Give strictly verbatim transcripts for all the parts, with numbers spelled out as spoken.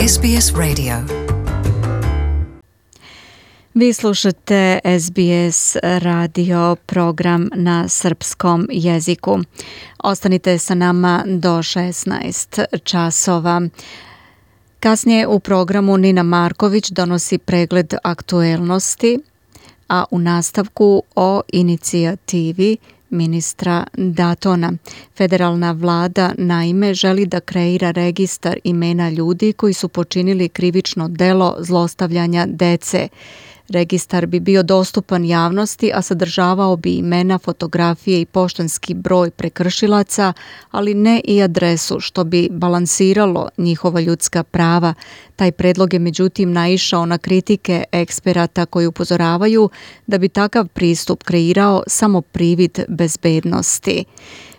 S B S Radio. Vi slušate S B S radio program na srpskom jeziku. Ostanite sa nama do šesnaest časova. Kasnije u programu Nina Marković donosi pregled aktuelnosti, a u nastavku o inicijativi ministra Datona. Federalna vlada naime želi da kreira registar imena ljudi koji su počinili krivično delo zlostavljanja dece. Registar bi bio dostupan javnosti, a sadržavao bi imena, fotografije i poštanski broj prekršilaca, ali ne i adresu, što bi balansiralo njihova ljudska prava. Taj predlog je međutim naišao na kritike eksperata koji upozoravaju da bi takav pristup kreirao samo privid bezbednosti.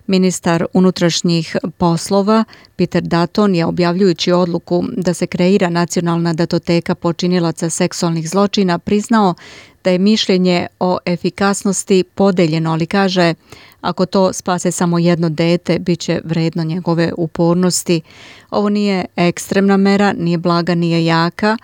Ministar unutrašnjih poslova Peter Dutton je, objavljujući odluku da se kreira nacionalna datoteka počinilaca seksualnih zločina, priznao da je mišljenje o efikasnosti podeljeno, ali kaže, ako to spase samo jedno dete, bit će vredno njegove upornosti. Ovo nije ekstremna mera, nije blaga, nije jaka.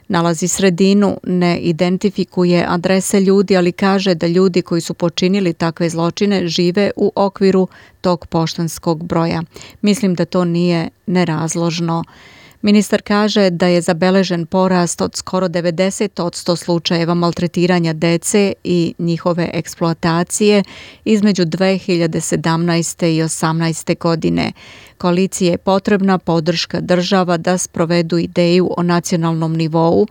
Nalazi sredinu, ne identifikuje adrese ljudi, ali kaže da ljudi koji su počinili takve zločine žive u okviru tog poštanskog broja. Mislim da to nije nerazložno. Ministar kaže da je zabeležen porast od skoro devedeset posto slučajeva maltretiranja dece i njihove eksploatacije između dve hiljade sedamnaeste i osamnaeste. godine. Koaliciji je potrebna podrška država da sprovedu ideju o nacionalnom nivou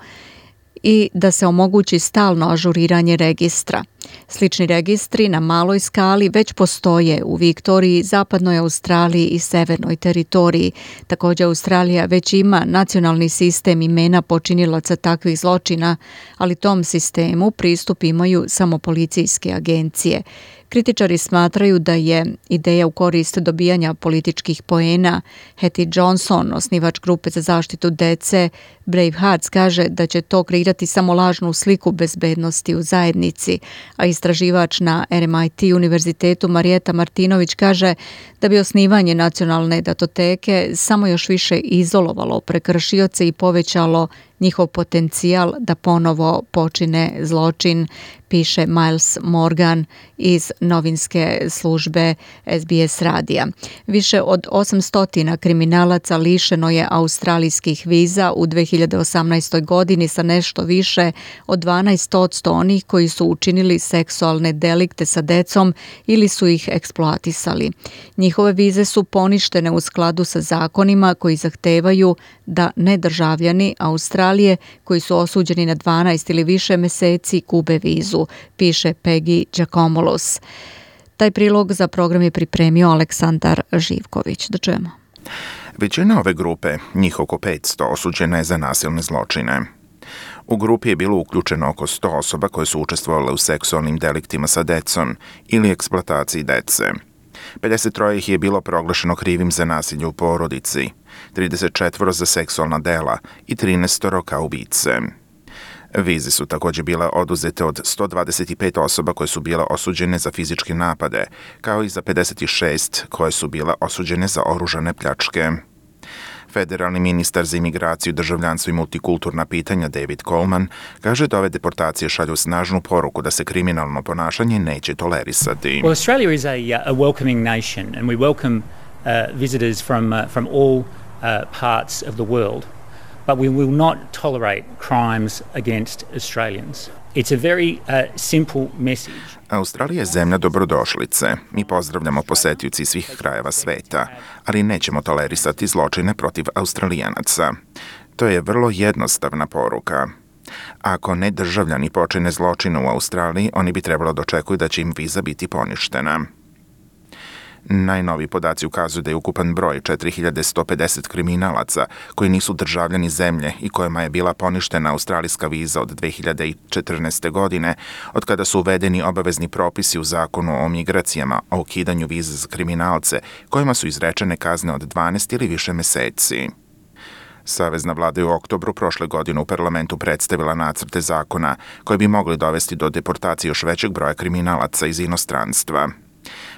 i da se omogući stalno ažuriranje registra. Slični registri na maloj skali već postoje u Viktoriji, Zapadnoj Australiji i Severnoj teritoriji. Također Australija već ima nacionalni sistem imena počinilaca takvih zločina, ali tom sistemu pristup imaju samo policijske agencije. Kritičari smatraju da je ideja u korist dobijanja političkih poena. Hattie Johnson, osnivač grupe za zaštitu dece Brave Hearts, kaže da će to kreirati samo lažnu sliku bezbednosti u zajednici, a istraživač na R M I T univerzitetu Marijeta Martinović kaže da bi osnivanje nacionalne datoteke samo još više izolovalo prekršioce i povećalo njihov potencijal da ponovo počine zločin, piše Miles Morgan iz novinske službe S B S radija. Više od osamsto kriminalaca lišeno je australijskih viza u dve hiljade osamnaestoj. godini sa nešto više od dvanaest posto onih koji su učinili seksualne delikte sa decom ili su ih eksploatisali. Njihove vize su poništene u skladu sa zakonima koji zahtevaju da nedržavljani Australije koji su osuđeni na dvanaest ili više meseci gube vizu, piše Peggy Giacomolos. Taj prilog za program je pripremio Aleksandar Živković. Da čujemo. Većina ove grupe, njih oko petsto, osuđena je za nasilne zločine. U grupi je bilo uključeno oko sto osoba koje su učestvovale u seksualnim deliktima sa decom ili eksploataciji dece. pedeset tri ih je bilo proglašeno krivim za nasilje u porodici, trideset četiri za seksualna dela i trinaest kao ubice. Vize su također bile oduzete od sto dvadeset pet osoba koje su bile osuđene za fizičke napade, kao i za pedeset šest koje su bile osuđene za oružane pljačke. Federalni ministar za imigraciju, državljanstvo i multikulturna pitanja David Coleman kaže da ove deportacije šalju snažnu poruku da se kriminalno ponašanje neće tolerisati. Well, Australia is a, a welcoming nation and we welcome uh, visitors from, uh, from all uh, parts of the world, but we will not tolerate crimes against Australians. It's a very uh, simple message. Australija je zemlja dobrodošlice. Mi pozdravljamo posetioci svih krajeva sveta, ali nećemo tolerisati zločine protiv Australijanaca. To je vrlo jednostavna poruka. Ako nedržavljani počine zločine u Australiji, oni bi trebalo da očekuju da će im viza biti poništena. Najnoviji podaci ukazuju da je ukupan broj četiri hiljade sto pedeset kriminalaca koji nisu državljani zemlje i kojima je bila poništena australijska viza od dve hiljade četrnaeste. godine, od kada su uvedeni obavezni propisi u zakonu o migracijama o ukidanju viza za kriminalce, kojima su izrečene kazne od dvanaest ili više meseci. Savezna vlada je u oktobru prošle godine u parlamentu predstavila nacrte zakona koji bi mogli dovesti do deportacije još većeg broja kriminalaca iz inostranstva.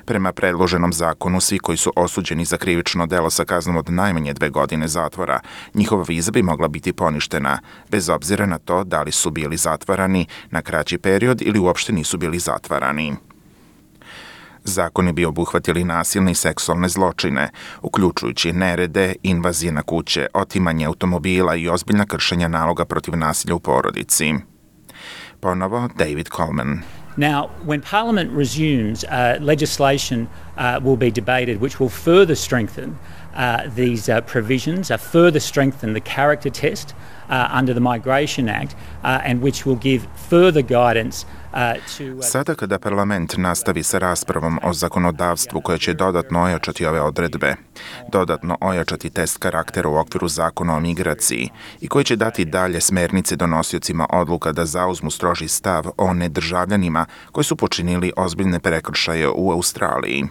Prema predloženom zakonu, svi koji su osuđeni za krivično delo sa kaznom od najmanje dve godine zatvora, njihova viza bi mogla biti poništena, bez obzira na to da li su bili zatvarani na kraći period ili uopšte nisu bili zatvarani. Zakoni bi obuhvatili nasilne i seksualne zločine, uključujući nerede, invazije na kuće, otimanje automobila i ozbiljna kršenja naloga protiv nasilja u porodici. Ponovo David Coleman. Now, when Parliament resumes, uh, legislation uh, will be debated which will further strengthen uh, these uh, provisions, uh, further strengthen the character test uh, under the Migration Act, uh, and which will give further guidance uh, to... Uh... Sada kada parlament nastavi sa raspravom o zakonodavstvu koje će dodatno ojačati ove odredbe, dodatno ojačati test karaktera u okviru zakona o migraciji i koji će dati dalje smernice donosiocima odluka da zauzmu stroži stav o nedržavljanima koji su počinili ozbiljne prekršaje u Australiji.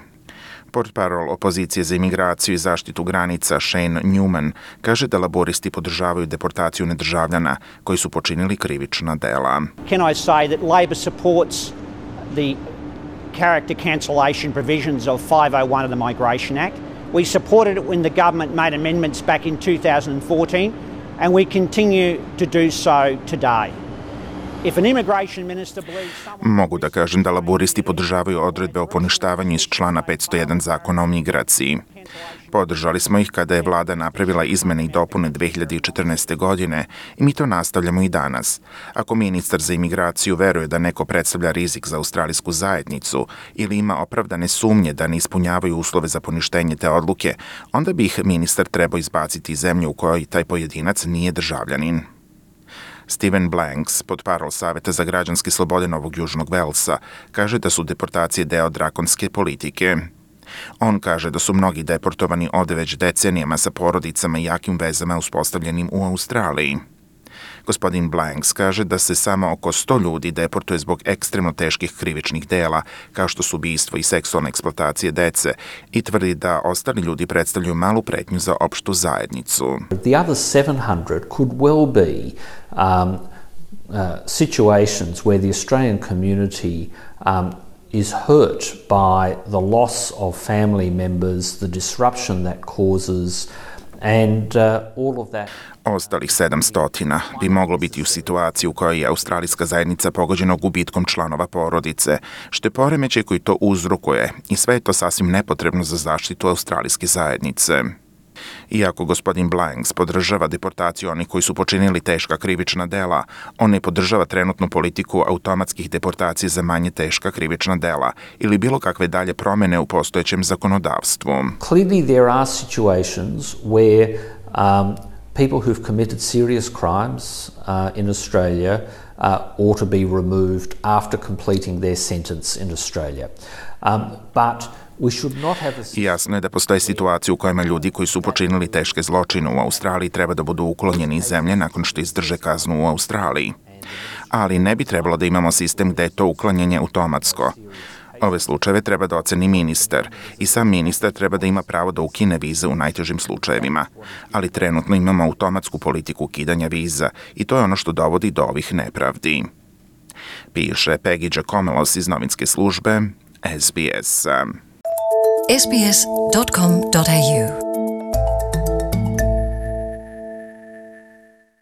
Portparol opozicije za imigraciju i zaštitu granica Shane Newman kaže da laboristi podržavaju deportaciju nedržavljana koji su počinili krivična dela. Can I say that Labor supports the character cancellation provisions of five oh one of the Migration Act? We supported it when the government made amendments back in two thousand fourteen, and we continue to do so today. Mogu da kažem da laboristi podržavaju odredbe o poništavanju iz člana petsto jedan zakona o migraciji. Podržali smo ih kada je vlada napravila izmene i dopune dve hiljade četrnaeste. godine i mi to nastavljamo i danas. Ako ministar za imigraciju veruje da neko predstavlja rizik za australijsku zajednicu ili ima opravdane sumnje da ne ispunjavaju uslove za poništenje te odluke, onda bi ih ministar trebao izbaciti iz zemlje u kojoj taj pojedinac nije državljanin. Stephen Blanks, portparol Saveta za građanske slobode Novog Južnog Velsa, kaže da su deportacije deo drakonske politike. On kaže da su mnogi deportovani ovde već decenijama sa porodicama i jakim vezama uspostavljenim u Australiji. Gospodin Blanks kaže da se samo oko sto ljudi deportuje zbog ekstremno teških krivičnih dela, kao što su ubistvo i seksualne eksploatacije dece, i tvrdi da ostali ljudi predstavljaju malu pretnju za opštu zajednicu. The other seven hundred could well be um, uh, situations where the Australian community um, is hurt by the loss of family members, the disruption that causes, and uh, all of that. Ostalih sedamsto bi moglo biti u situaciji u kojoj je australijska zajednica pogođena gubitkom članova porodice, što je poremećaj koji to uzrokuje, i sve je to sasvim nepotrebno za zaštitu australijske zajednice. Iako gospodin Blanks podržava deportaciju onih koji su počinili teška krivična dela, on ne podržava trenutnu politiku automatskih deportacija za manje teška krivična dela ili bilo kakve dalje promene u postojećem zakonodavstvu. Clearly there are situations where um, people who've committed serious crimes uh, in Australia uh, ought to be removed after completing their sentence in Australia. Um, but Jasno je da postoje situacije u kojima ljudi koji su počinili teške zločine u Australiji treba da budu uklonjeni iz zemlje nakon što izdrže kaznu u Australiji. Ali ne bi trebalo da imamo sistem gde je to uklanjanje automatsko. Ove slučajeve treba da oceni ministar i sam ministar treba da ima pravo da ukine vize u najtežim slučajevima. Ali trenutno imamo automatsku politiku ukidanja viza i to je ono što dovodi do ovih nepravdi. Piše Peggy Giacomelos iz novinske službe S B S. S B S dot com dot A U